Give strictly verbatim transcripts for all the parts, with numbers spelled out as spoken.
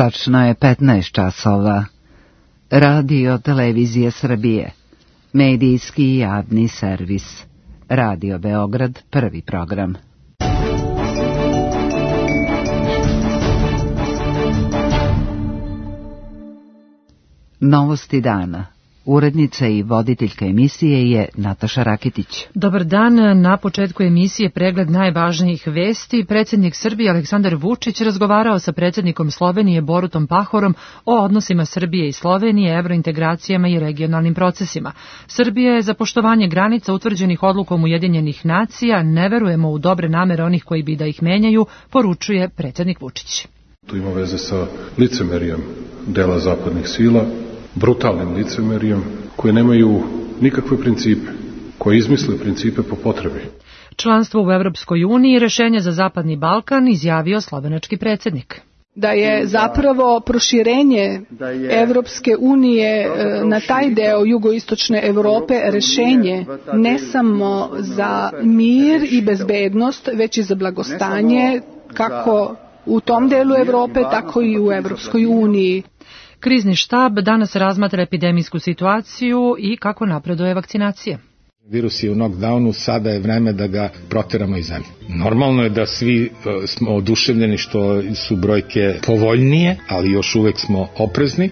Tačno je petnaest časova. Radio Televizije Srbije. Medijski javni servis. Radio Beograd, prvi program. Novosti dana. Urednica i voditeljka emisije je Nataša Rakitić. Dobar dan. Na početku emisije pregled najvažnijih vesti. Predsjednik Srbije Aleksandar Vučić razgovarao sa predsjednikom Slovenije Borutom Pahorom o odnosima Srbije i Slovenije, evrointegracijama i regionalnim procesima. Srbija je za poštovanje granica utvrđenih odlukom Ujedinjenih nacija. Ne verujemo u dobre namere onih koji bi da ih menjaju, poručuje predsjednik Vučić. To ima veze sa licemerijem dela zapadnih sila, brutalnim licemerijem, koje nemaju nikakve principe, koje izmisle principe po potrebi. Članstvo u Evropskoj uniji rešenje za Zapadni Balkan, izjavio slovenački predsjednik. Da je zapravo proširenje Evropske unije na taj deo jugoistočne Evrope rešenje ne samo za mir i bezbednost, već i za blagostanje, kako u tom delu Evrope, tako i u Evropskoj uniji. Krizni štab danas razmatra epidemijsku situaciju i kako napreduje vakcinacija. Virus je u knockdownu, sada je vreme da ga proteramo iz zemlje. Normalno je da svi smo oduševljeni što su brojke povoljnije, ali još uvek smo oprezni.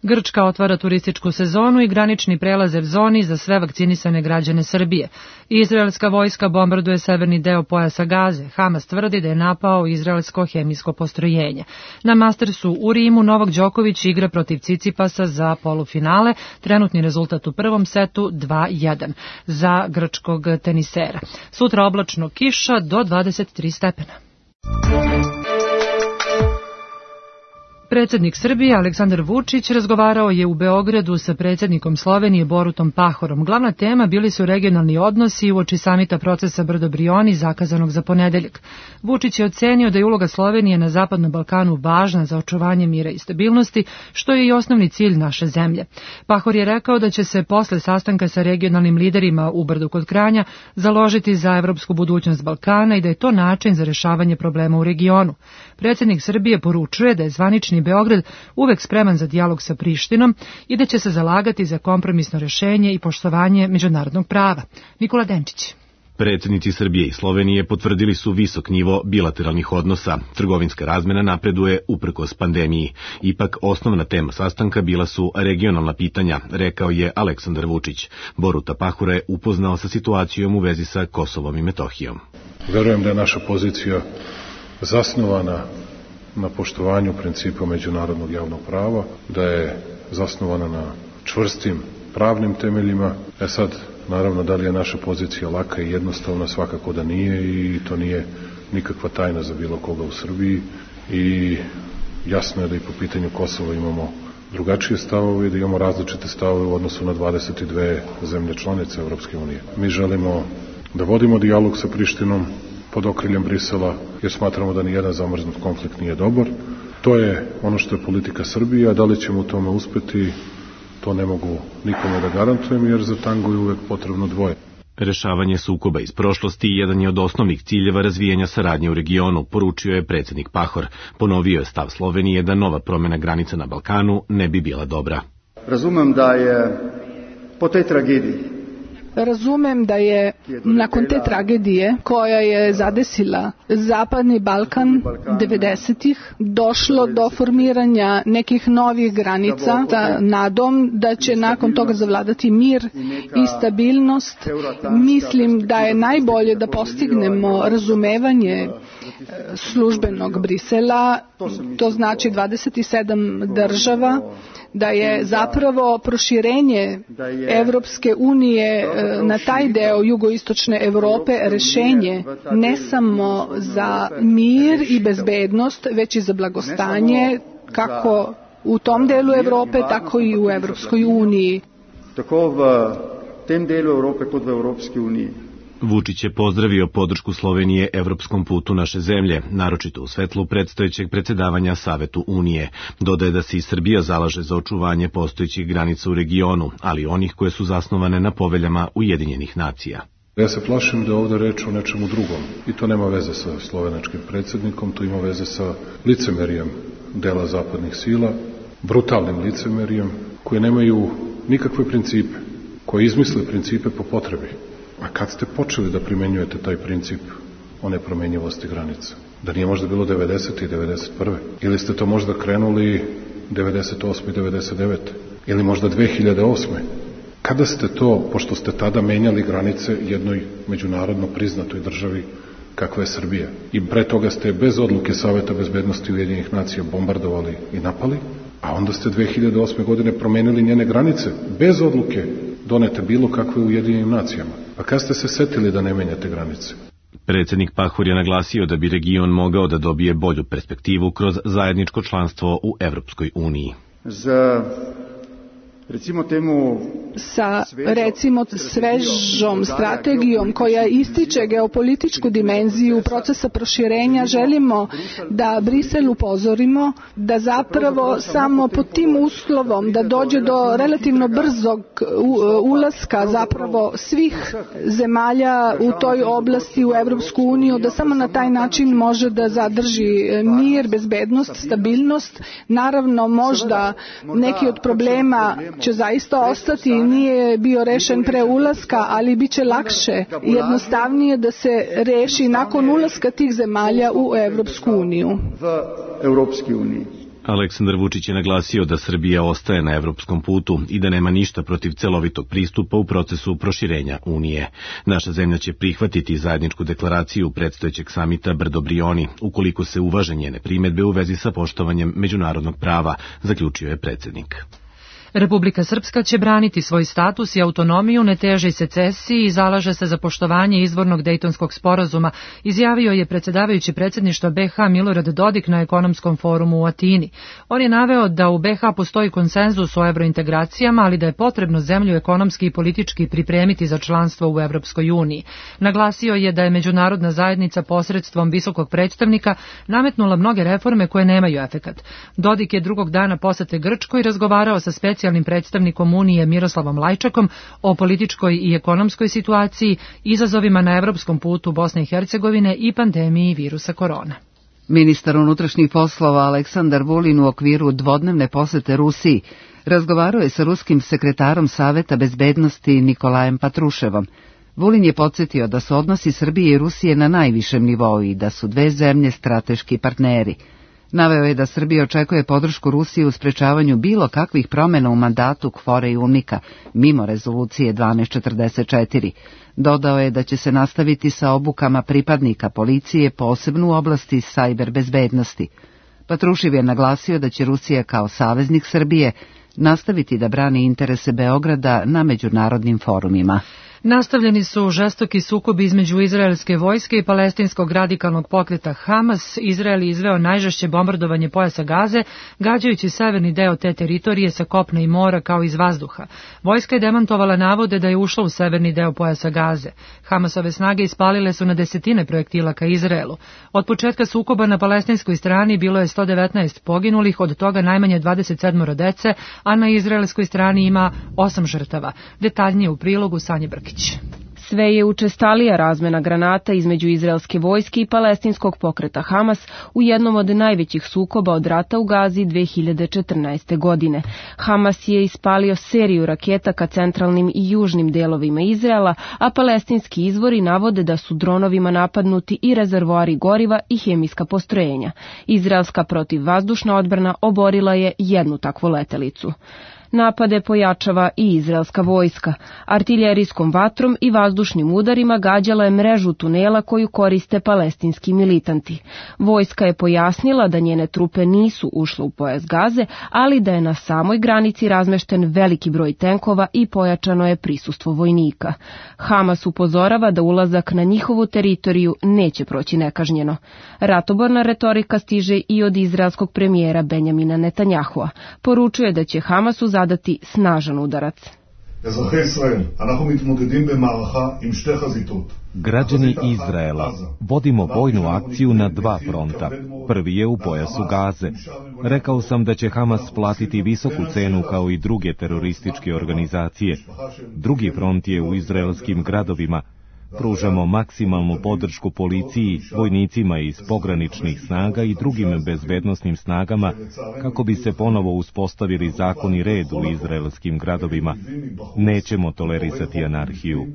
Grčka otvara turističku sezonu i granični prelaze v zoni za sve vakcinisane građane Srbije. Izraelska vojska bombarduje severni deo pojasa Gaze. Hamas tvrdi da je napao izraelsko hemijsko postrojenje. Na Mastersu u Rimu Novak Đoković igra protiv Cicipasa za polufinale. Trenutni rezultat u prvom setu dva jedan za grčkog tenisera. Sutra oblačno, kiša do dvadeset tri stepena. Predsjednik Srbije Aleksandar Vučić razgovarao je u Beogradu sa predsjednikom Slovenije Borutom Pahorom. Glavna tema bili su regionalni odnosi uoči samita procesa Brdo-Brioni zakazanog za ponedeljak. Vučić je ocenio da je uloga Slovenije na Zapadnom Balkanu važna za očuvanje mira i stabilnosti, što je i osnovni cilj naše zemlje. Pahor je rekao da će se posle sastanka sa regionalnim liderima u Brdu kod Kranja založiti za evropsku budućnost Balkana i da je to način za rešavanje problema u regionu. Predsjednik Srbije poručuje da je zvanični Beograd uvek spreman za dijalog sa Prištinom i da će se zalagati za kompromisno rešenje i poštovanje međunarodnog prava. Nikola Denčić. Predsjednici Srbije i Slovenije potvrdili su visok nivo bilateralnih odnosa. Trgovinska razmena napreduje uprkos pandemiji. Ipak osnovna tema sastanka bila su regionalna pitanja, rekao je Aleksandar Vučić. Boruta Pahora je upoznao sa situacijom u vezi sa Kosovom i Metohijom. Verujem da je naša pozicija zasnovana na poštovanju principa međunarodnog javnog prava, da je zasnovana na čvrstim pravnim temeljima. E sad, naravno, da li je naša pozicija laka i jednostavna, svakako da nije i to nije nikakva tajna za bilo koga u Srbiji i jasno je da i po pitanju Kosova imamo drugačije stavove i da imamo različite stavove u odnosu na dvadeset dve zemlje članice Evropske unije. Mi želimo da vodimo dijalog sa Prištinom pod okriljem Brisela, jer smatramo da nijedan zamrznut konflikt nije dobar. To je ono što je politika Srbije, a da li ćemo u tome uspeti, to ne mogu nikome da garantujem, jer za tango je uvek potrebno dvoje. Rešavanje sukoba iz prošlosti jedan je od osnovnih ciljeva razvijanja saradnje u regionu, poručio je predsjednik Pahor. Ponovio je stav Slovenije da nova promjena granica na Balkanu ne bi bila dobra. Razumem da je po tej tragediji Razumem da je nakon te tragedije koja je zadesila Zapadni Balkan devedesetih došlo do formiranja nekih novih granica sa nadom da će nakon toga zavladati mir i stabilnost. Mislim da je najbolje da postignemo razumevanje službenog Brisela, to znači dvadeset sedam država, da je zapravo proširenje Evropske unije na taj deo jugoistočne Evrope rešenje ne samo za mir i bezbednost, već i za blagostanje, kako u tom delu Evrope, tako i u Evropskoj uniji. Tako v tem delu Evrope kot v Evropskoj uniji. Vučić je pozdravio podršku Slovenije evropskom putu naše zemlje, naročito u svetlu predstojećeg predsjedavanja Savetu Unije. Dodaje da se i Srbija zalaže za očuvanje postojećih granica u regionu, ali onih koje su zasnovane na poveljama Ujedinjenih nacija. Ja se plašim da je ovdje reč o nečemu drugom i to nema veze sa slovenačkim predsjednikom, to ima veze sa licemerijem dela zapadnih sila, brutalnim licemerijem, koje nemaju nikakve principe, koji izmisle principe po potrebi. A kad ste počeli da primenjujete taj princip o nepromenjivosti granica? Da nije možda bilo devedesete i devedeset prve? Ili ste to možda krenuli devedeset osme i devedeset devete? Ili možda dve hiljade osme? Kada ste to, pošto ste tada menjali granice jednoj međunarodno priznatoj državi kakva je Srbija, i pre toga ste bez odluke Saveta bezbednosti Ujedinjenih nacija bombardovali i napali, a onda ste dve hiljade osme godine promenili njene granice bez odluke donete bilo kakve u Ujedinjenim nacijama. Pa kad ste se setili da ne menjate granice? Predsednik Pahor je naglasio da bi region mogao da dobije bolju perspektivu kroz zajedničko članstvo u Evropskoj uniji. Za recimo temu sa recimo svežom strategijom koja ističe geopolitičku dimenziju procesa proširenja, želimo da Brisel upozorimo da zapravo samo pod tim uslovom da dođe do relativno brzog ulaska zapravo svih zemalja u toj oblasti u Evropsku uniju, da samo na taj način može da zadrži mir, bezbednost, stabilnost. Naravno, možda neki od problema će zaista ostati, nije bio rešen pre ulaska, ali bit će lakše i jednostavnije da se reši nakon ulaska tih zemalja u Evropsku uniju. Aleksandar Vučić je naglasio da Srbija ostaje na evropskom putu i da nema ništa protiv celovitog pristupa u procesu proširenja Unije. Naša zemlja će prihvatiti zajedničku deklaraciju predstojećeg samita Brdo-Brioni, ukoliko se uvaže njene primedbe u vezi sa poštovanjem međunarodnog prava, zaključio je predsednik. Republika Srpska će braniti svoj status i autonomiju, ne teži secesiji i zalaže se za poštovanje izvornog Dejtonskog sporazuma, izjavio je predsjedavajući predsjedništva B H Milorad Dodik na ekonomskom forumu u Atini. On je naveo da u B H postoji konsenzus o evrointegracijama, ali da je potrebno zemlju ekonomski i politički pripremiti za članstvo u Evropskoj uniji. Naglasio je da je međunarodna zajednica posredstvom visokog predstavnika nametnula mnoge reforme koje nemaju efekat. Dodik je drugog dana posete Grčkoj razgovarao sa specijalnim specijalnim predstavnikom Unije Miroslavom Lajčakom o političkoj i ekonomskoj situaciji, izazovima na evropskom putu Bosne i Hercegovine i pandemiji virusa korona. Ministar unutrašnjih poslova Aleksandar Vulin u okviru dvodnevne posete Rusiji razgovarao je sa ruskim sekretarom Saveta bezbednosti Nikolajem Patruševom. Vulin je podsjetio da su odnosi Srbije i Rusije na najvišem nivou i da su dve zemlje strateški partneri. Naveo je da Srbija očekuje podršku Rusije u sprečavanju bilo kakvih promjena u mandatu Kvore i Unika, mimo rezolucije dvanaest četrdeset četiri. Dodao je da će se nastaviti sa obukama pripadnika policije, posebno u oblasti sajber bezbednosti. Patrušev je naglasio da će Rusija kao saveznik Srbije nastaviti da brani interese Beograda na međunarodnim forumima. Nastavljeni su žestoki sukobi između izraelske vojske i palestinskog radikalnog pokreta Hamas. Izrael je izveo najžešće bombardovanje pojasa Gaze, gađajući severni deo te teritorije sa kopna i mora kao iz vazduha. Vojska je demantovala navode da je ušla u severni deo pojasa Gaze. Hamasove snage ispalile su na desetine projektila ka Izraelu. Od početka sukoba na palestinskoj strani bilo je sto devetnaest poginulih, od toga najmanje dvadeset sedam dece, a na izraelskoj strani ima osam žrtava. Detaljnije u prilogu Sanje Brkić. Sve je učestalija razmena granata između izraelske vojske i palestinskog pokreta Hamas u jednom od najvećih sukoba od rata u Gazi dve hiljade četrnaeste. godine. Hamas je ispalio seriju raketa ka centralnim i južnim delovima Izraela, a palestinski izvori navode da su dronovima napadnuti i rezervoari goriva i hemijska postrojenja. Izraelska protivvazdušna odbrana oborila je jednu takvu letelicu. Napade pojačava i izraelska vojska. Artiljerijskom vatrom i vazdušnim udarima gađala je mrežu tunela koju koriste palestinski militanti. Vojska je pojasnila da njene trupe nisu ušle u pojas Gaze, ali da je na samoj granici razmešten veliki broj tenkova i pojačano je prisustvo vojnika. Hamas upozorava da ulazak na njihovu teritoriju neće proći nekažnjeno. Ratoborna retorika stiže i od izraelskog premijera Benjamina Netanjahua. Poručuje da će Hamasu zadati snažan udarac. Građani Izraela, vodimo vojnu akciju na dva fronta. Prvi je u pojasu Gaze. Rekao sam da će Hamas platiti visoku cenu kao i druge terorističke organizacije. Drugi front je u izraelskim gradovima. Pružamo maksimalnu podršku policiji, vojnicima iz pograničnih snaga i drugim bezbednosnim snagama kako bi se ponovo uspostavili zakon i red u izraelskim gradovima. Nećemo tolerisati anarhiju.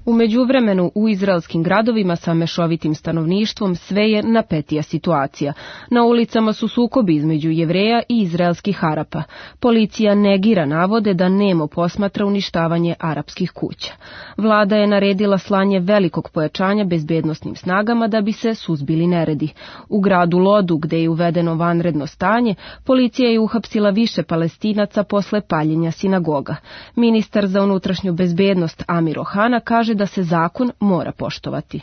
U međuvremenu u izraelskim gradovima sa mešovitim stanovništvom sve je napetija situacija. Na ulicama su sukobi između Jevreja i izraelskih Arapa. Policija negira navode da nemo posmatra uništavanje arapskih kuća. Vlada je naredila slanje velikog pojačanja bezbednosnim snagama da bi se suzbili neredi. U gradu Lodu, gde je uvedeno vanredno stanje, policija je uhapsila više Palestinaca posle paljenja sinagoga. Ministar za unutrašnju bezbednost Amir Ohana kaže da se zakon mora poštovati.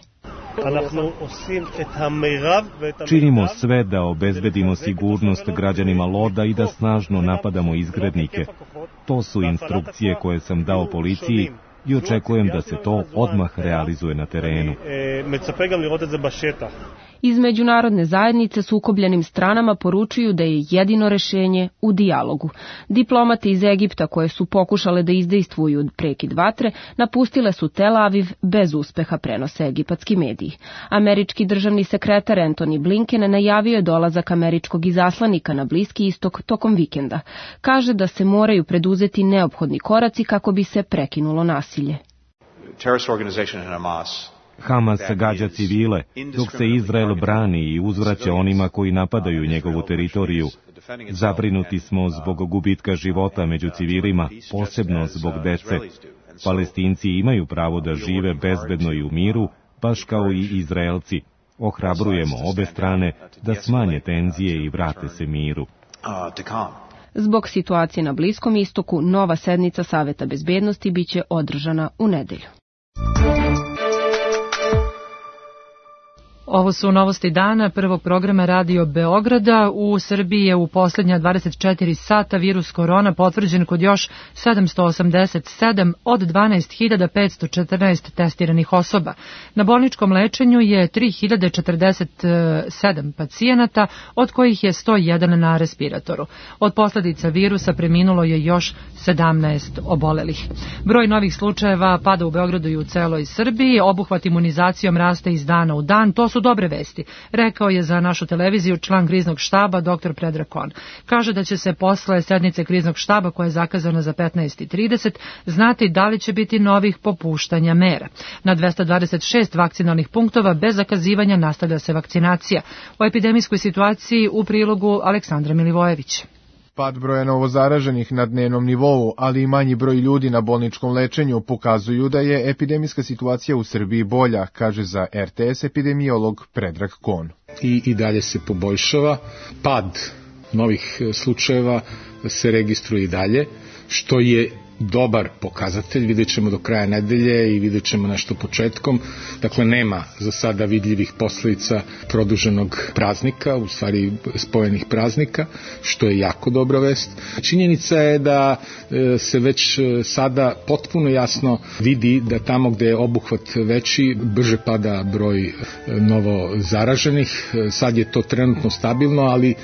Činimo sve da obezbedimo sigurnost građanima Loda i da snažno napadamo izgrednike. To su instrukcije koje sam dao policiji i očekujem da se to odmah realizuje na terenu. Iz međunarodne zajednice sukobljenim stranama poručuju da je jedino rešenje u dijalogu. Diplomate iz Egipta koje su pokušale da izdejstvuju prekid vatre napustile su Tel Aviv bez uspeha, prenose egipatski mediji. Američki državni sekretar Antony Blinken najavio je dolazak američkog izaslanika na Bliski istok tokom vikenda. Kaže da se moraju preduzeti neophodni koraci kako bi se prekinulo nasilje. Hamas gađa civile, dok se Izrael brani i uzvraća onima koji napadaju njegovu teritoriju. Zabrinuti smo zbog gubitka života među civilima, posebno zbog dece. Palestinci imaju pravo da žive bezbedno i u miru, baš kao i Izraelci. Ohrabrujemo obe strane da smanje tenzije i vrate se miru. Zbog situacije na Bliskom istoku, nova sednica Saveta bezbednosti biće održana u nedelju. Ovo su novosti dana prvog programa Radio Beograda. U Srbiji je u posljednja dvadeset četiri sata virus korona potvrđen kod još sedamsto osamdeset sedam od dvanaest hiljada petsto četrnaest testiranih osoba. Na bolničkom lečenju je tri hiljade četrdeset sedam pacijenata, od kojih je sto jedan na respiratoru. Od posljedica virusa preminulo je još sedamnaest obolelih. Broj novih slučajeva pada u Beogradu i u celoj Srbiji. Obuhvat imunizacijom raste iz dana u dan. To su dobre vesti, rekao je za našu televiziju član kriznog štaba doktor Predrag Kon. Kaže da će se posle sednice kriznog štaba, koja je zakazana za petnaest i trideset, znati da li će biti novih popuštanja mera. Na dvesta dvadeset šest vakcinalnih punktova bez zakazivanja nastavlja se vakcinacija. O epidemijskoj situaciji u prilogu Aleksandra Milivojević. Pad broja novozaraženih na dnevnom nivou, ali i manji broj ljudi na bolničkom lečenju pokazuju da je epidemijska situacija u Srbiji bolja, kaže za er te es epidemiolog Predrag Kon. I, i dalje se poboljšava. Pad novih slučajeva se registruje i dalje, što je dobar pokazatelj, vidjet ćemo do kraja nedelje i vidjet ćemo nešto početkom. Dakle, nema za sada vidljivih posljedica produženog praznika, u stvari spojenih praznika, što je jako dobra vest. Činjenica je da se već sada potpuno jasno vidi da tamo gde je obuhvat veći, brže pada broj novo zaraženih. Sad je to trenutno stabilno, ali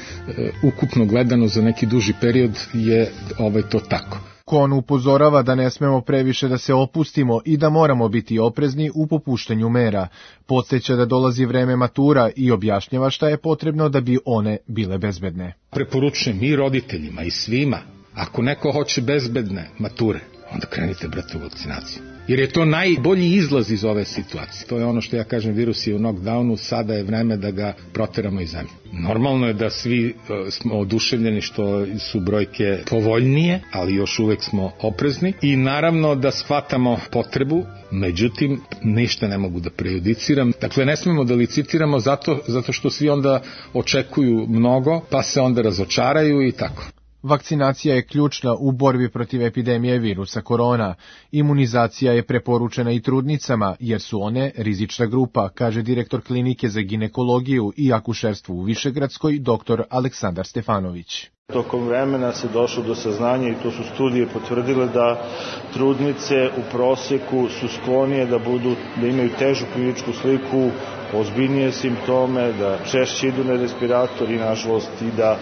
ukupno gledano za neki duži period je ovaj to tako. Kon upozorava da ne smemo previše da se opustimo i da moramo biti oprezni u popuštanju mera. Podsjeća da dolazi vreme matura i objašnjava šta je potrebno da bi one bile bezbedne. Preporučujem i roditeljima i svima, ako neko hoće bezbedne mature, onda krenite, brate, u vakcinaciju. Jer je to najbolji izlaz iz ove situacije. To je ono što ja kažem, virus je u knockdownu, sada je vreme da ga proteramo iz zemlje. Normalno je da svi smo oduševljeni što su brojke povoljnije, ali još uvek smo oprezni i naravno da shvatamo potrebu, međutim ništa ne mogu da prejudiciram. Dakle, ne smemo da licitiramo zato, zato što svi onda očekuju mnogo, pa se onda razočaraju i tako. Vakcinacija je ključna u borbi protiv epidemije virusa korona. Imunizacija je preporučena i trudnicama, jer su one rizična grupa, kaže direktor klinike za ginekologiju i akušerstvo u Višegradskoj, doktor Aleksandar Stefanović. Tokom vremena se došlo do saznanja, i to su studije potvrdile, da trudnice u proseku su sklonije da budu, da imaju težu kliničku sliku, ozbiljnije simptome, da češće idu na respirator i nažalost i da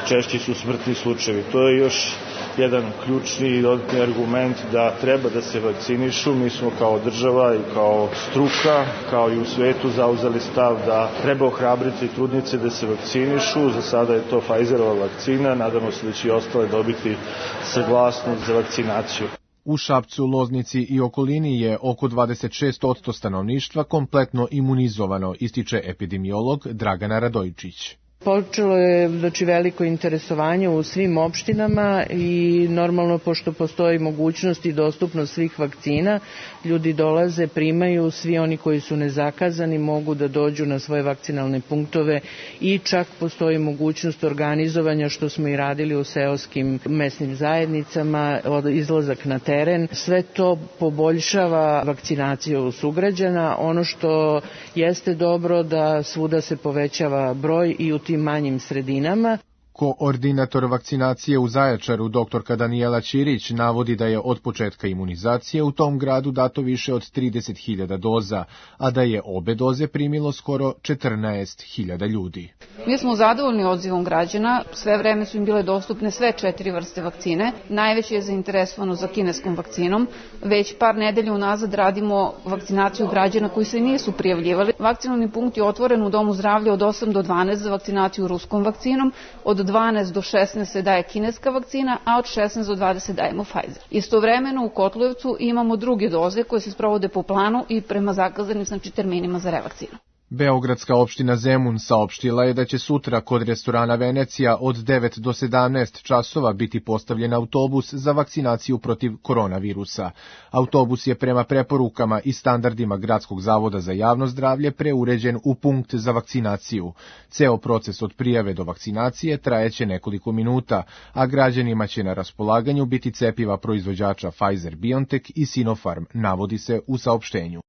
češći su smrtni slučajevi. To je još jedan ključni i dodatni argument da treba da se vakcinišu. Mi smo kao država i kao struka, kao i u svetu zauzeli stav da treba ohrabriti trudnice da se vakcinišu. Za sada je to Pfizerova vakcina, nadamo se da će i ostale dobiti saglasnost za vakcinaciju. U Šapcu, Loznici i okolini je oko dvadeset šest posto stanovništva kompletno imunizovano, ističe epidemiolog Dragana Radojičić. Počelo je znači veliko interesovanje u svim opštinama i normalno pošto postoji mogućnost i dostupnost svih vakcina, ljudi dolaze, primaju, svi oni koji su nezakazani mogu da dođu na svoje vakcinalne punktove i čak postoji mogućnost organizovanja što smo i radili u seoskim mesnim zajednicama, izlazak na teren. Sve to poboljšava vakcinaciju sugrađana. Ono što jeste dobro da svuda se povećava broj i u tim manjim sredinama. Koordinator vakcinacije u Zaječaru, doktorka Danijela Ćirić, navodi da je od početka imunizacije u tom gradu dato više od trideset hiljada doza, a da je obe doze primilo skoro četrnaest hiljada ljudi. Mi smo zadovoljni odzivom građana, sve vreme su im bile dostupne sve četiri vrste vakcine. Najveće je zainteresovano za kineskom vakcinom. Već par nedelja unazad radimo vakcinaciju građana koji se nisu prijavljivali. Vakcinalni punkt je otvoren u Domu zdravlja od osam do dvanaest za vakcinaciju ruskom vakcinom, od dvanaest do šesnaest se daje kineska vakcina, a od šesnaest do dvadeset dajemo Pfizer. Istovremeno u Kotlujevcu imamo druge doze koje se sprovode po planu i prema zakazanim znači terminima za revakcinu. Beogradska opština Zemun saopštila je da će sutra kod restorana Venecija od devet do sedamnaest časova biti postavljen autobus za vakcinaciju protiv koronavirusa. Autobus je prema preporukama i standardima Gradskog zavoda za javno zdravlje preuređen u punkt za vakcinaciju. Ceo proces od prijave do vakcinacije trajeće nekoliko minuta, a građanima će na raspolaganju biti cepiva proizvođača Pfizer-BioNTech i Sinopharm, navodi se u saopštenju.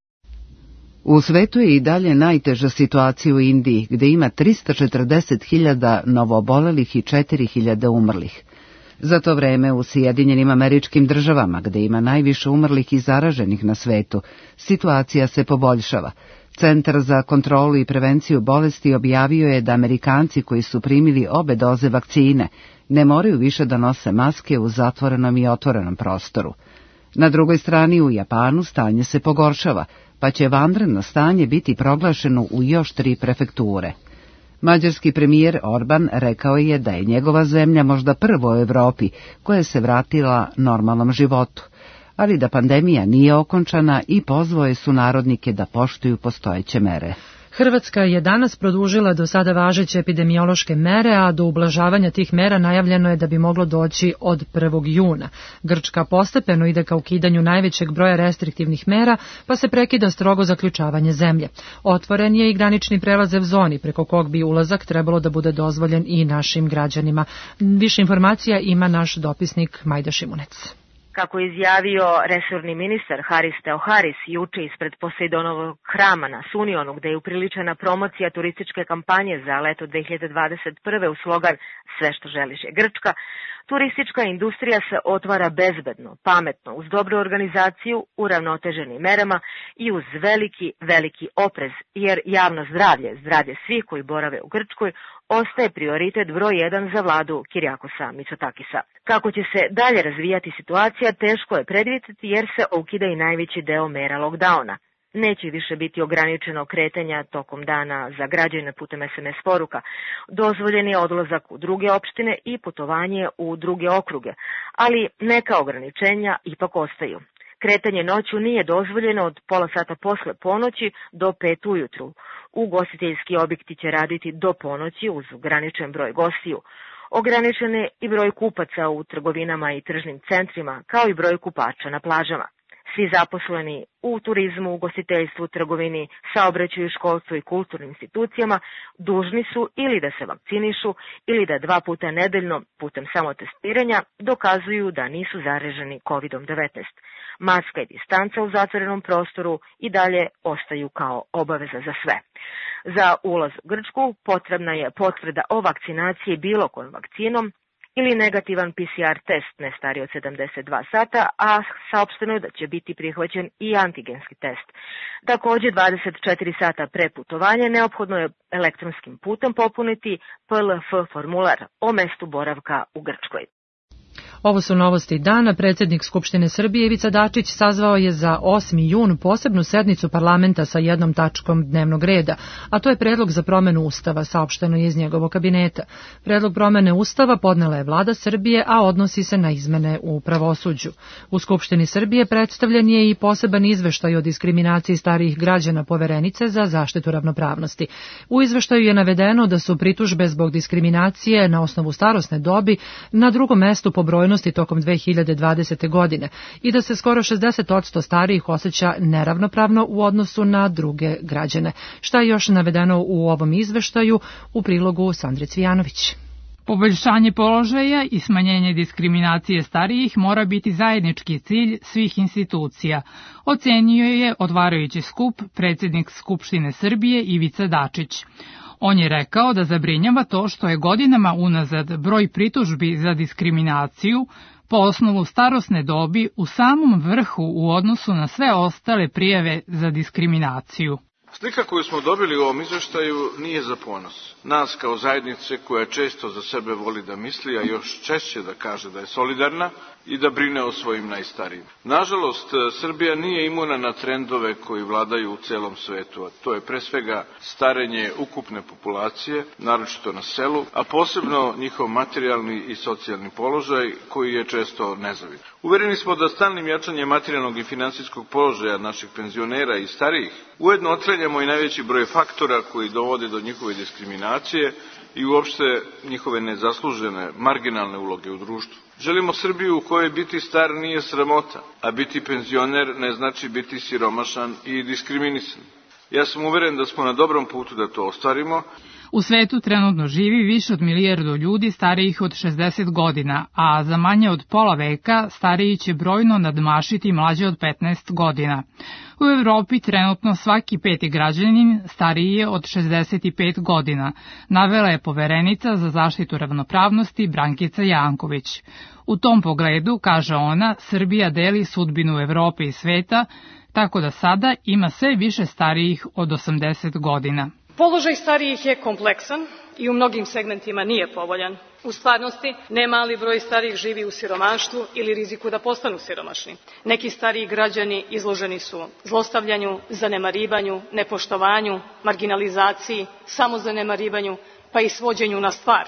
U svetu je i dalje najteža situacija u Indiji, gde ima trista četrdeset hiljada novoobolelih i četiri hiljade umrlih. Za to vreme u Sjedinjenim Američkim Državama, gde ima najviše umrlih i zaraženih na svetu, situacija se poboljšava. Centar za kontrolu i prevenciju bolesti objavio je da Amerikanci koji su primili obe doze vakcine ne moraju više da nose maske u zatvorenom i otvorenom prostoru. Na drugoj strani u Japanu stanje se pogoršava, pa će vanredno stanje biti proglašeno u još tri prefekture. Mađarski premijer Orban rekao je da je njegova zemlja možda prvo u Evropi koja se vratila normalnom životu, ali da pandemija nije okončana i pozvao je sunarodnike da poštuju postojeće mere. Hrvatska je danas produžila do sada važeće epidemiološke mere, a do ublažavanja tih mera najavljeno je da bi moglo doći od prvog juna. Grčka postepeno ide ka ukidanju najvećeg broja restriktivnih mera, pa se prekida strogo zaključavanje zemlje. Otvoren je i granični prelaz u zoni, preko kog bi ulazak trebalo da bude dozvoljen i našim građanima. Više informacija ima naš dopisnik Majda Šimunec. Kako je izjavio resorni ministar Haris Teoharis juče ispred Posejdonovog hrama na Sunionu, gde je upriličena promocija turističke kampanje za leto dve hiljade dvadeset prve u slogan Sve što želiš je Grčka, turistička industrija se otvara bezbedno, pametno, uz dobru organizaciju, uravnoteženim merama i uz veliki, veliki oprez, jer javno zdravlje, zdravlje svih koji borave u Grčkoj, ostaje prioritet broj jedan za vladu Kirijakosa Mitsotakisa. Kako će se dalje razvijati situacija, teško je predvidjeti jer se ukida i najveći deo mera lockdowna. Neće više biti ograničeno kretanja tokom dana za građane putem es em es poruka. Dozvoljen je odlazak u druge opštine i putovanje u druge okruge, ali neka ograničenja ipak ostaju. Kretanje noću nije dozvoljeno od pola sata posle ponoći do pet ujutru. Ugostiteljski objekti će raditi do ponoći uz ograničen broj gostiju. Ograničen je i broj kupaca u trgovinama i tržnim centrima, kao i broj kupača na plažama. Svi zaposleni u turizmu, ugostiteljstvu, trgovini, saobraćaju, školstvu i kulturnim institucijama dužni su ili da se vakcinišu ili da dva puta nedeljno putem samotestiranja dokazuju da nisu zaraženi kovid devetnaest. Maska i distanca u zatvorenom prostoru i dalje ostaju kao obaveza za sve. Za ulaz u Grčku potrebna je potvrda o vakcinaciji bilo kojom vakcinom ili negativan pe ce er test ne stariji od sedamdeset dva sata, a saopšteno je da će biti prihvaćen i antigenski test. Također dvadeset četiri sata pre putovanja neophodno je elektronskim putem popuniti pe el ef formular o mestu boravka u Grčkoj. Ovo su novosti dana. Predsjednik Skupštine Srbije Ivica Dačić sazvao je za osmi jun posebnu sednicu parlamenta sa jednom tačkom dnevnog reda, a to je predlog za promenu Ustava, saopšteno je iz njegovog kabineta. Predlog promene Ustava podnela je vlada Srbije, a odnosi se na izmene u pravosuđu. U Skupštini Srbije predstavljen je i poseban izveštaj o diskriminaciji starijih građana Poverenice za zaštitu ravnopravnosti. U izveštaju je navedeno da su pritužbe zbog diskriminacije na osnovu starosne dobi na drugom mestu po brojnosti tokom dve hiljade dvadesete. godine i da se skoro šezdeset posto starijih osjeća neravnopravno u odnosu na druge građane. Šta je još navedeno u ovom izveštaju? U prilogu Sandre Cvijanović. Poboljšanje položaja i smanjenje diskriminacije starijih mora biti zajednički cilj svih institucija, ocenio je otvarajući skup predsjednik Skupštine Srbije Ivica Dačić. On je rekao da zabrinjava to što je godinama unazad broj pritužbi za diskriminaciju po osnovu starosne dobi u samom vrhu u odnosu na sve ostale prijave za diskriminaciju. Slika koju smo dobili u ovom izveštaju nije za ponos. Nas kao zajednice koja često za sebe voli da misli, a još češće da kaže da je solidarna i da brine o svojim najstarijim. Nažalost, Srbija nije imuna na trendove koji vladaju u celom svetu, a to je pre svega starenje ukupne populacije, naročito na selu, a posebno njihov materijalni i socijalni položaj koji je često nezavidan. Uvereni smo da stalnim jačanjem materijalnog i finansijskog položaja naših penzionera i starijih ujedno otklanjamo i najveći broj faktora koji dovode do njihove diskriminacije i uopšte njihove nezaslužene, marginalne uloge u društvu. Želimo Srbiju u kojoj biti star nije sramota, a biti penzioner ne znači biti siromašan i diskriminisan. Ja sam uveren da smo na dobrom putu da to ostvarimo. U svetu trenutno živi više od milijardu ljudi starijih od šezdeset godina, a za manje od pola veka stariji će brojno nadmašiti mlađe od petnaest godina. U Evropi trenutno svaki peti građanin stariji je od šezdeset pet godina, navela je Poverenica za zaštitu ravnopravnosti Brankica Janković. U tom pogledu, kaže ona, Srbija deli sudbinu Evrope i sveta, tako da sada ima sve više starijih od osamdeset godina. Položaj starijih je kompleksan i u mnogim segmentima nije povoljan. U stvarnosti, ne mali broj starijih živi u siromaštvu ili riziku da postanu siromašni. Neki stariji građani izloženi su zlostavljanju, zanemarivanju, nepoštovanju, marginalizaciji, samozanemarivanju, pa i svođenju na stvar.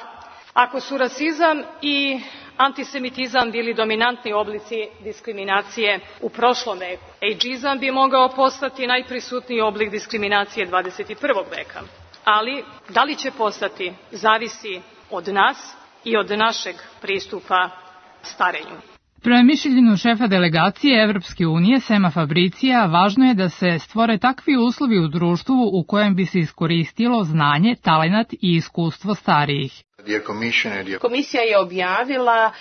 Ako su rasizam i antisemitizam bili dominantni oblici diskriminacije u prošlom veku, ejdžizam bi mogao postati najprisutniji oblik diskriminacije dvadeset prvog veka. Ali, da li će postati, zavisi od nas i od našeg pristupa starenju. Prema mišljenju šefa delegacije Evropske unije Sema Fabricija, važno je da se stvore takvi uslovi u društvu u kojem bi se iskoristilo znanje, talenat i iskustvo starijih. Komisija je objavila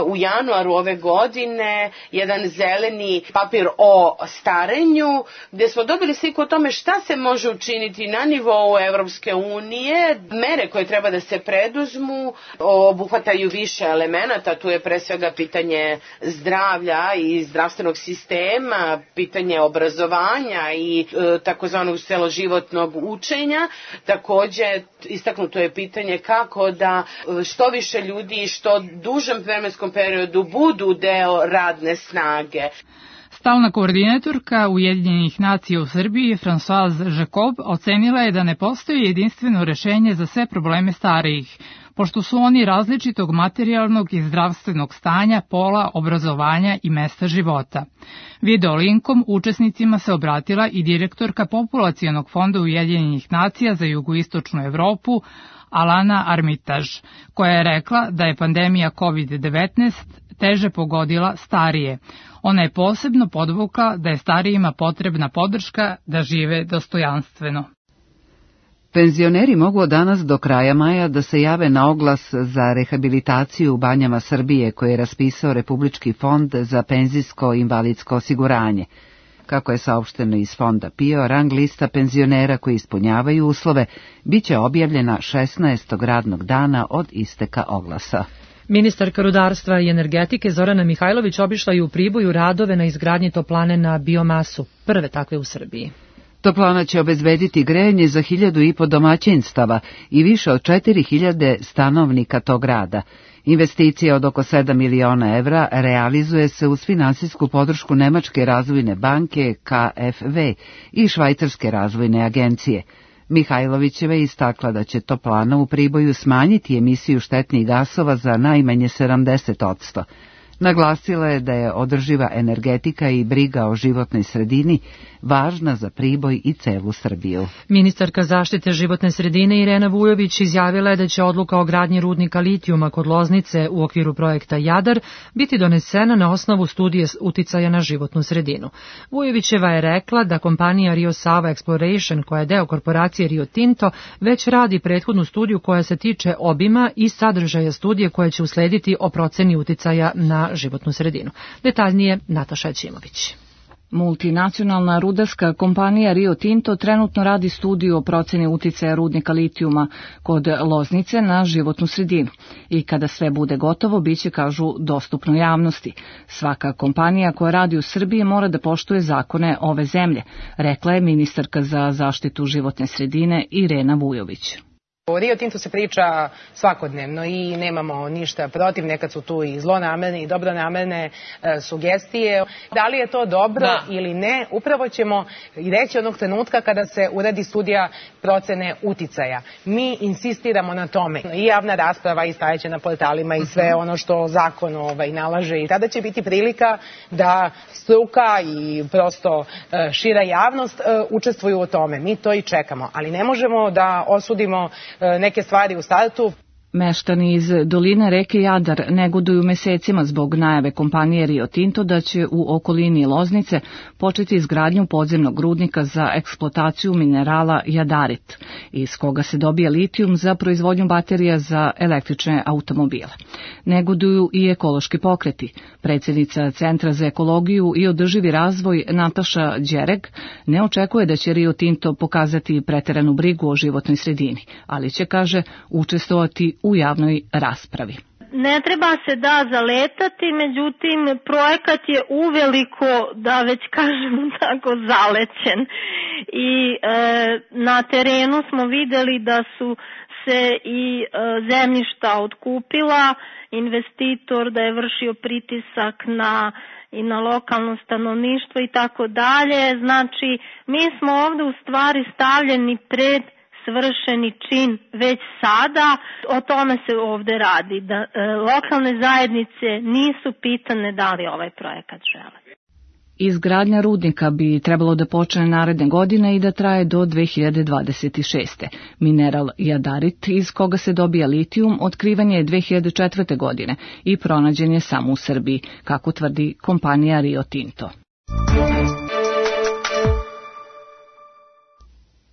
uh, u januaru ove godine jedan zeleni papir o starenju, gdje smo dobili sliku o tome šta se može učiniti na nivou Evropske unije. Mere koje treba da se preduzmu obuhvataju više elemenata, tu je pre svega pitanje zdravlja i zdravstvenog sistema, pitanje obrazovanja i uh, takozvanog celoživotnog učenja. Takođe, istaknuto je pitanje kako da što više ljudi i što dužem vremenskom periodu budu deo radne snage. Stalna koordinatorka Ujedinjenih nacija u Srbiji, Françoise Jacob, ocenila je da ne postoji jedinstveno rešenje za sve probleme starijih, pošto su oni različitog materijalnog i zdravstvenog stanja, pola, obrazovanja i mesta života. Video linkom učesnicima se obratila i direktorka Populacionog fonda Ujedinjenih nacija za jugoistočnu Evropu, Alana Armitage, koja je rekla da je pandemija kovid devetnaest teže pogodila starije. Ona je posebno podvukla da je starijima potrebna podrška da žive dostojanstveno. Penzioneri mogu od danas do kraja maja da se jave na oglas za rehabilitaciju u banjama Srbije koje je raspisao Republički fond za penzijsko i invalidsko osiguranje. Kako je saopšteno iz fonda P I O, rang lista penzionera koji ispunjavaju uslove biće objavljena šesnaestog radnog dana od isteka oglasa. Ministarka rudarstva i energetike Zorana Mihajlović obišla je u Priboju radove na izgradnji toplane na biomasu, prve takve u Srbiji. Toplana će obezbediti grejanje za hiljadu i po domaćinstava i više od četiri hiljade stanovnika tog grada. Investicija od oko sedam miliona evra realizuje se uz finansijsku podršku Nemačke razvojne banke K F W i Švajcarske razvojne agencije. Mihajlovićeva je istakla da će toplana u Priboju smanjiti emisiju štetnih gasova za najmanje sedamdeset posto. Naglasila je da je održiva energetika i briga o životnoj sredini važna za Priboj i celu Srbiju. Ministarka zaštite životne sredine Irena Vujović izjavila je da će odluka o gradnji rudnika litijuma kod Loznice u okviru projekta Jadar biti donesena na osnovu studije uticaja na životnu sredinu. Vujovićeva je rekla da kompanija Rio Sava Exploration, koja je deo korporacije Rio Tinto, već radi prethodnu studiju koja se tiče obima i sadržaja studije koja će uslediti o proceni uticaja na životnu sredinu. Detaljnije Nataša Ćimović. Multinacionalna rudarska kompanija Rio Tinto trenutno radi studiju o proceni uticaja rudnika litijuma kod Loznice na životnu sredinu i kada sve bude gotovo biće, kažu, dostupno javnosti. Svaka kompanija koja radi u Srbiji mora da poštuje zakone ove zemlje, rekla je ministarka za zaštitu životne sredine Irena Vujović. O Rio Tintu se priča svakodnevno i nemamo ništa protiv, nekad su tu i zlonamerne i dobronamerne e, sugestije. Da li je to dobro da. ili ne, upravo ćemo i reći onog trenutka kada se uradi studija procene uticaja. Mi insistiramo na tome. I javna rasprava i stajeće na portalima i sve ono što zakon ovaj, nalaže. I tada će biti prilika da struka i prosto e, šira javnost e, učestvuju u tome. Mi to i čekamo, ali ne možemo da osudimo neke stvari u startu. Meštani iz doline reke Jadar negoduju mesecima zbog najave kompanije Rio Tinto da će u okolini Loznice početi izgradnju podzemnog rudnika za eksploataciju minerala jadarit, iz koga se dobija litijum za proizvodnju baterija za električne automobile. Negoduju i ekološki pokreti. Predsjednica Centra za ekologiju i održivi razvoj Nataša Đereg ne očekuje da će Rio Tinto pokazati preteranu brigu o životnoj sredini, ali će, kaže, učestvovati u javnoj raspravi. Ne treba se da zaletati, međutim projekat je uveliko, da već kažemo tako, zalećen i e, na terenu smo videli da su se i e, zemljišta otkupila, investitor da je vršio pritisak na i na lokalno stanovništvo i tako dalje. Znači, mi smo ovde u stvari stavljeni pred svršeni čin već sada. O tome se ovde radi, da e, lokalne zajednice nisu pitane da li ovaj projekat žele. Izgradnja rudnika bi trebalo da počne naredne godine i da traje do dve hiljade dvadeset šeste. Mineral jadarit, iz koga se dobija litijum, otkrivan je dve hiljade četvrte. godine i pronađen je samo u Srbiji, kako tvrdi kompanija Rio Tinto.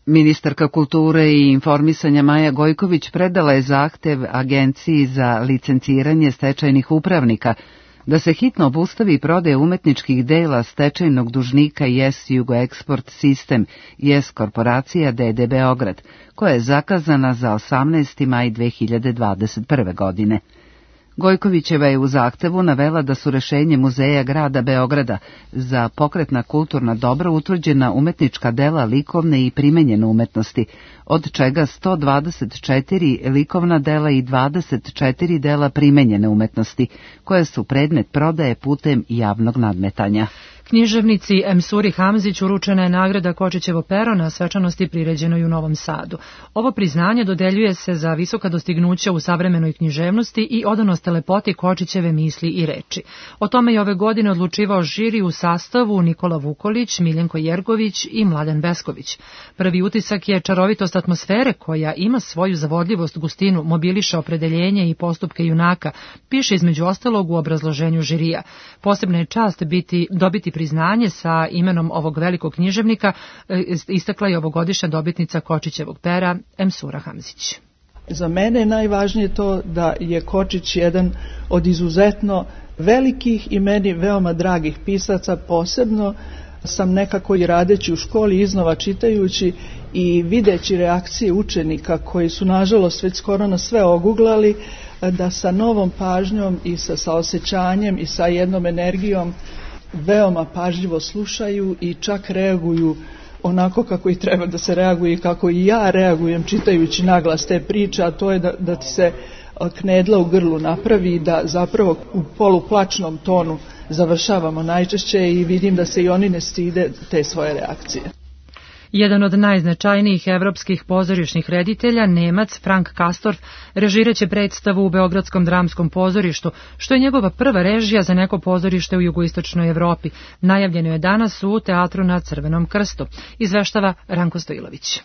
Ministarka kulture i informisanja Maja Gojković predala je zahtev Agenciji za licenciranje stečajnih upravnika da se hitno obustavi prodaja umetničkih dela stečajnog dužnika Yes Jugoeksport Sistem Yes Korporacija D D Beograd, koja je zakazana za osamnaesti maj dve hiljade dvadeset prve. godine. Gojkovićeva je u zahtevu navela da su rešenje Muzeja grada Beograda za pokretna kulturna dobra utvrđena umetnička dela likovne i primenjene umetnosti, od čega sto dvadeset četiri likovna dela i dvadeset četiri dela primenjene umetnosti, koje su predmet prodaje putem javnog nadmetanja. Književnici Emsuri Hamzić uručena je nagrada Kočićevo pero na svečanosti priređenoj u Novom Sadu. Ovo priznanje dodeljuje se za visoka dostignuća u savremenoj književnosti i odanost lepoti Kočićeve misli i reči. O tome je ove godine odlučivao žiri u sastavu Nikola Vukolić, Miljenko Jergović i Mladen Besković. Prvi utisak je čarovitost atmosfere koja ima svoju zavodljivost, gustinu, mobiliše opredeljenje i postupke junaka, piše između ostalog u obrazloženju žirija. Posebna je čast biti, dobiti priznanje sa imenom ovog velikog književnika, istakla je ovogodišnja dobitnica Kočićevog pera Emsura Hamzić. Za mene je najvažnije to da je Kočić jedan od izuzetno velikih i meni veoma dragih pisaca. Posebno sam nekako i radeći u školi, iznova čitajući i videći reakcije učenika koji su nažalost već skoro na sve oguglali, da sa novom pažnjom i sa saosećanjem i sa jednom energijom veoma pažljivo slušaju i čak reaguju onako kako i treba da se reaguje i kako i ja reagujem čitajući naglas te priče, a to je da, da ti se knedla u grlu napravi i da zapravo u poluplačnom tonu završavamo najčešće i vidim da se i oni ne stide te svoje reakcije. Jedan od najznačajnijih evropskih pozorišnih reditelja, Nemac Frank Kastorf, režiraće predstavu u Beogradskom dramskom pozorištu, što je njegova prva režija za neko pozorište u jugoistočnoj Evropi. Najavljeno je danas u Teatru na Crvenom krstu. Izveštava Ranko Stojilović.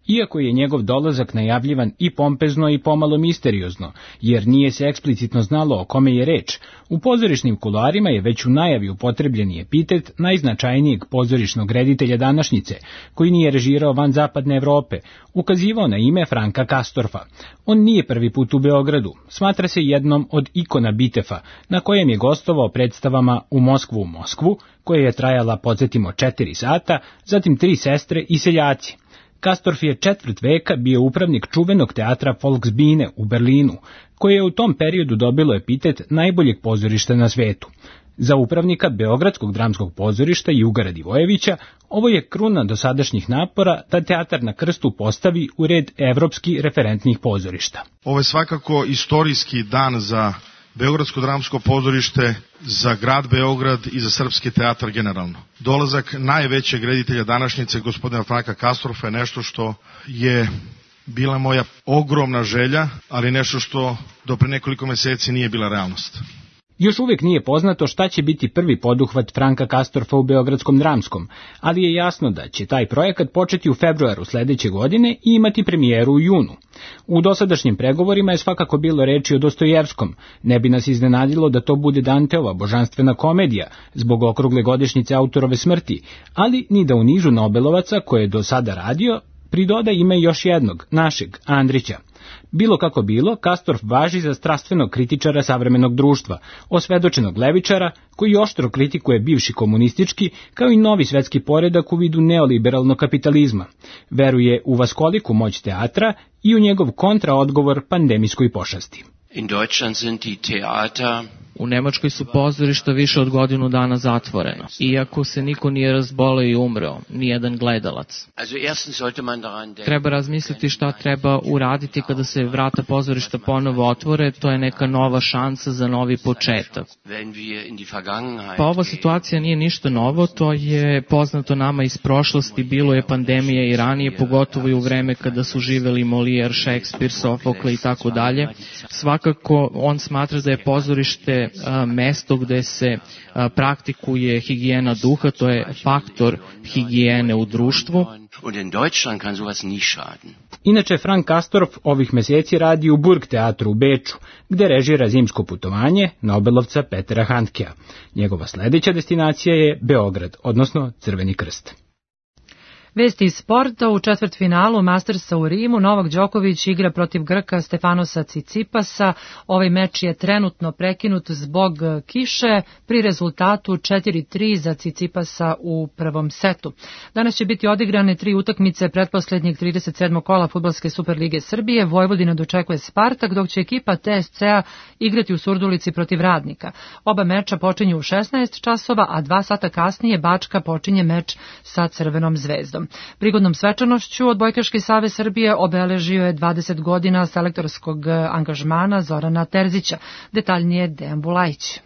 Iako je njegov dolazak najavljivan i pompezno i pomalo misteriozno, jer nije se eksplicitno znalo o kome je reč, u pozorišnim kuloarima je već u najavi upotrebljeni epitet najznačajnijeg pozorišnog reditelja današnjice, koji nije režirao van zapadne Evrope, ukazivao na ime Franka Kastorfa. On nije prvi put u Beogradu, smatra se jednom od ikona Bitefa, na kojem je gostovao predstavama U Moskvu u Moskvu, koja je trajala, podsjetimo, četiri sata, zatim Tri sestre i Seljaci. Kastorf je četvrt veka bio upravnik čuvenog teatra Volksbühne u Berlinu, koje je u tom periodu dobilo epitet najboljeg pozorišta na svetu. Za upravnika Beogradskog dramskog pozorišta Juga Radivojevića ovo je kruna dosadašnjih napora da Teatar na Krstu postavi u red evropski referentnih pozorišta. Ovo je svakako istorijski dan za Beogradsko dramsko pozorište, za grad Beograd i za srpski teatar generalno. Dolazak najvećeg reditelja današnjice, gospodina Franka Kastorfa, je nešto što je bila moja ogromna želja, ali nešto što do pre nekoliko meseci nije bila realnost. Još uvijek nije poznato šta će biti prvi poduhvat Franka Kastorfa u Beogradskom dramskom, ali je jasno da će taj projekat početi u februaru sledeće godine i imati premijeru u junu. U dosadašnjim pregovorima je svakako bilo reči o Dostojevskom, ne bi nas iznenadilo da to bude Danteova božanstvena komedija zbog okrugle godišnjice autorove smrti, ali ni da u nizu Nobelovaca koje je do sada radio pridoda ime još jednog, našeg, Andrića. Bilo kako bilo, Kastorf važi za strastvenog kritičara savremenog društva, osvedočenog levičara koji oštro kritikuje bivši komunistički kao i novi svetski poredak u vidu neoliberalnog kapitalizma. Veruje u vaskoliku moć teatra i u njegov kontraodgovor pandemijskoj pošasti. In Deutschland sind die Theater U Nemačkoj su pozorišta više od godinu dana zatvorena. Iako se niko nije razboleo i umreo, nijedan gledalac. Treba razmisliti šta treba uraditi kada se vrata pozorišta ponovo otvore, to je neka nova šansa za novi početak. Pa ova situacija nije ništa novo, to je poznato nama iz prošlosti, bilo je pandemija i ranije, pogotovo i u vreme kada su živeli Molière, Shakespeare, Sofokle i tako dalje. Svakako on smatra da je pozorište a, mesto gde se a, praktikuje higijena duha, to je faktor higijene u društvu. Inače, Frank Kastorf ovih meseci radi u Burgteatru u Beču, gde režira Zimsko putovanje Nobelovca Petera Handkea. Njegova sledeća destinacija je Beograd, odnosno Crveni krst. Vesti iz sporta: u četvrtfinalu Mastersa u Rimu Novak Đoković igra protiv Grka Stefanosa Cicipasa. Ovaj meč je trenutno prekinut zbog kiše pri rezultatu četiri tri za Cicipasa u prvom setu. Danas će biti odigrane tri utakmice pretposlednjeg trideset sedmog kola Fudbalske Superlige Srbije. Vojvodina dočekuje Spartak, dok će ekipa T S C-a igrati u Surdulici protiv Radnika. Oba meča počinju u šesnaest časova, a dva sata kasnije Bačka počinje meč sa Crvenom zvezdom. Prigodnom svečanošću Odbojkaški savez Srbije obeležio je dvadeset godina selektorskog angažmana Zorana Terzića. Detaljnije Dejan Bulajić.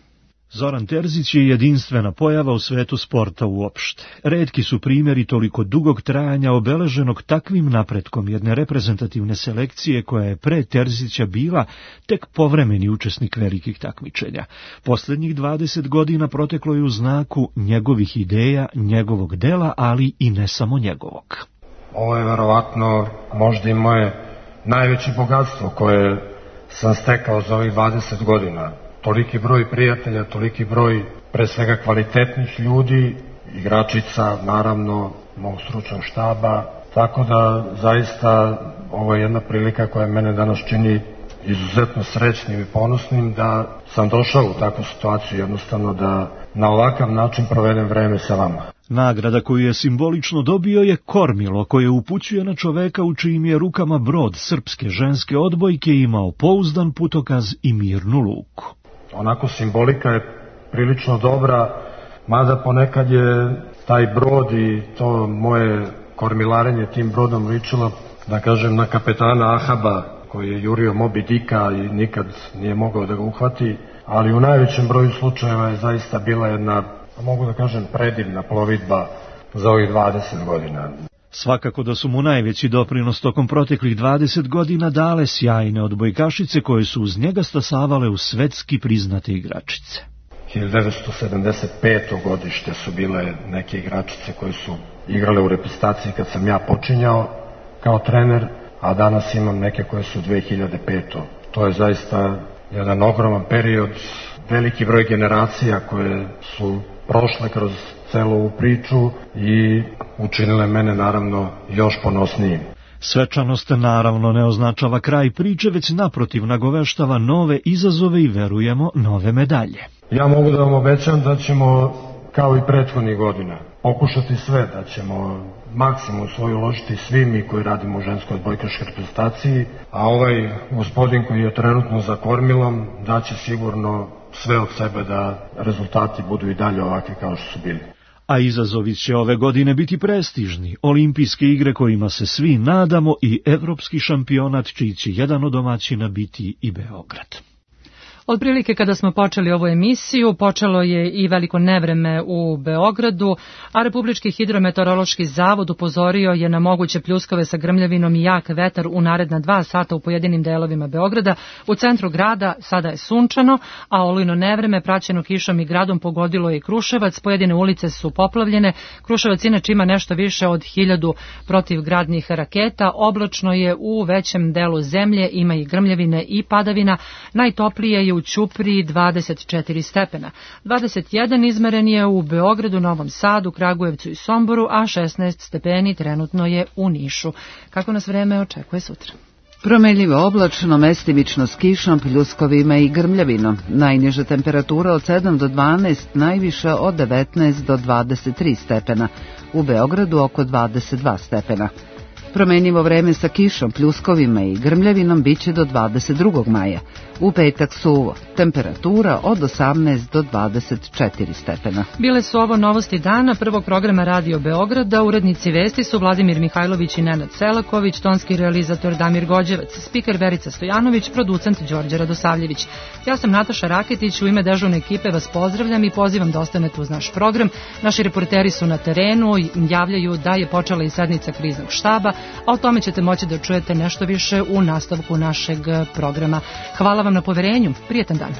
Zoran Terzić je jedinstvena pojava u svetu sporta uopšte. Retki su primjeri toliko dugog trajanja obeleženog takvim napretkom jedne reprezentativne selekcije koja je pre Terzića bila tek povremeni učesnik velikih takmičenja. Poslednjih dvadeset godina proteklo je u znaku njegovih ideja, njegovog dela, ali i ne samo njegovog. Ovo je verovatno možda i moje najveće bogatstvo koje sam stekao za ovih dvadeset godina. Toliki broj prijatelja, toliki broj pre svega kvalitetnih ljudi, igračica, naravno, mog stručnog štaba, tako da zaista ovo je jedna prilika koja mene danas čini izuzetno srećnim i ponosnim da sam došao u takvu situaciju, jednostavno da na ovakav način provedem vreme sa vama. Nagrada koju je simbolično dobio je kormilo koje upućuje na čoveka u čijim je rukama brod srpske ženske odbojke imao pouzdan putokaz i mirnu luku. Onako simbolika je prilično dobra, mada ponekad je taj brod i to moje kormilarenje tim brodom ličilo, da kažem, na kapetana Ahaba, koji je jurio Moby Dicka i nikad nije mogao da ga uhvati, ali u najvećem broju slučajeva je zaista bila jedna, mogu da kažem, predivna plovidba za ovih dvadeset godina. Svakako da su mu najveći doprinos tokom proteklih dvadeset godina dale sjajne odbojkašice koje su uz njega stasavale u svetski priznate igračice. hiljadu devetsto sedamdeset peto godište su bile neke igračice koje su igrale u reprezentaciji kad sam ja počinjao kao trener, a danas imam neke koje su dve hiljade pete. To je zaista jedan ogroman period, veliki broj generacija koje su prošle kroz celu ovu priču i učinile mene naravno još ponosnijim. Svečanost naravno ne označava kraj priče, već naprotiv nagoveštava nove izazove i verujemo nove medalje. Ja mogu da vam obećam da ćemo, kao i prethodnih godina, pokušati sve, da ćemo maksimum svoj uložiti svi mi koji radimo u ženskoj odbojkaškoj reprezentaciji, a ovaj gospodin koji je trenutno za kormilom daće sigurno sve od sebe da rezultati budu i dalje ovakvi kao što su bili. A izazovi će ove godine biti prestižni, olimpijske igre kojima se svi nadamo i evropski šampionat čiji će jedan od domaćina biti i Beograd. Otprilike kada smo počeli ovu emisiju, počelo je i veliko nevreme u Beogradu, a Republički hidrometeorološki zavod upozorio je na moguće pljuskove sa grmljavinom i jak vetar u naredna dva sata u pojedinim delovima Beograda. U centru grada sada je sunčano, a olujno nevreme praćeno kišom i gradom pogodilo je i Kruševac. Pojedine ulice su poplavljene. Kruševac inače ima nešto više od hiljadu protivgradnih raketa. Oblačno je u većem delu zemlje, ima i grmljavine i padavina. Najtoplije je u Ćupriji dvadeset četiri stepena. dvadeset jedan izmeren je u Beogradu, Novom Sadu, Kragujevcu i Somboru, a šesnaest stepeni trenutno je u Nišu. Kako nas vreme očekuje sutra? Promenljivo oblačno, mestimično s kišom, pljuskovima i grmljavinom. Najniža temperatura od sedam do dvanaest, najviša od devetnaest do dvadeset tri stepena. U Beogradu oko dvadeset dva stepena. Promenljivo vreme sa kišom, pljuskovima i grmljavinom biće do dvadeset drugog maja. U petak suvo, temperatura od osamnaest do dvadeset četiri stepena. Bile su ovo novosti dana prvog programa Radio Beograda. Urednici vesti su Vladimir Mihajlović i Nenad Selaković, tonski realizator Damir Gođevac, spiker Verica Stojanović, producent Đorđe Radosavljević. Ja sam Nataša Raketić, u ime dežurne ekipe vas pozdravljam i pozivam da ostanete uz naš program. Naši reporteri su na terenu i javljaju da je počela i sednica kriznog štaba, a o tome ćete moći da čujete nešto više u nastavku našeg programa. Hvala vam na poverenju. Prijetan dan.